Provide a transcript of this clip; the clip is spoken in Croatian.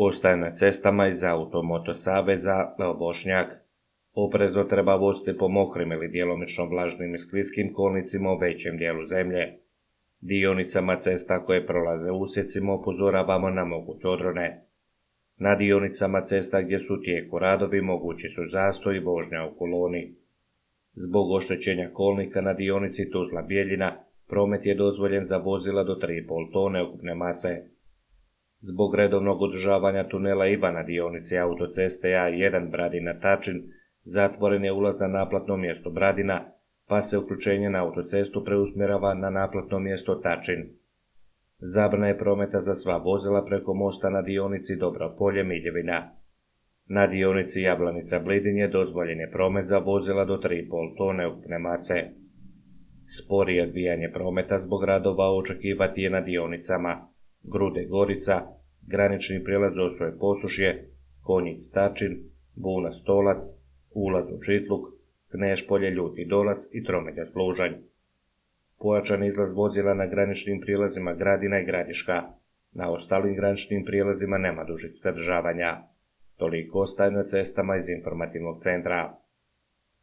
Ostaje na cestama iz Automoto saveza Bošnjak. Oprezno treba voziti po mokrim ili djelomično vlažnim i skliskim kolnicima u većem dijelu zemlje. Dionicama cesta koje prolaze usjecima upozoravamo na moguće odrone. Na dionicama cesta gdje su u tijeku radovi mogući su zastoj i vožnja u koloni. Zbog oštećenja kolnika na dionici Tuzla-Bjeljina promet je dozvoljen za vozila do 3,5 tone ukupne mase. Zbog redovnog održavanja tunela IVA na dionici autoceste A1 Bradina-Tačin zatvoren je ulaz na naplatno mjesto Bradina, pa se uključenje na autocestu preusmjerava na naplatno mjesto Tačin. Zabrana je prometa za sva vozila preko mosta na dionici Dobro Polje-Miljevina. Na dionici Jablanica-Blidin je dozvoljen je promet za vozila do 3,5 tone ukupne mase. Sporije odvijanje prometa zbog radova očekivati je na dionicama Grude-Gorica, granični prijelaz Osoje-Posušje, Konjic-Tačin, Buna-Stolac, ulaz u Čitluk, Knešpolje-Ljuti Dolac i Tromelja-Služanj. Pojačan izlaz vozila na graničnim prijelazima Gradina i Gradiška. Na ostalim graničnim prijelazima nema dužih zadržavanja. Toliko ostaje na cestama iz informativnog centra.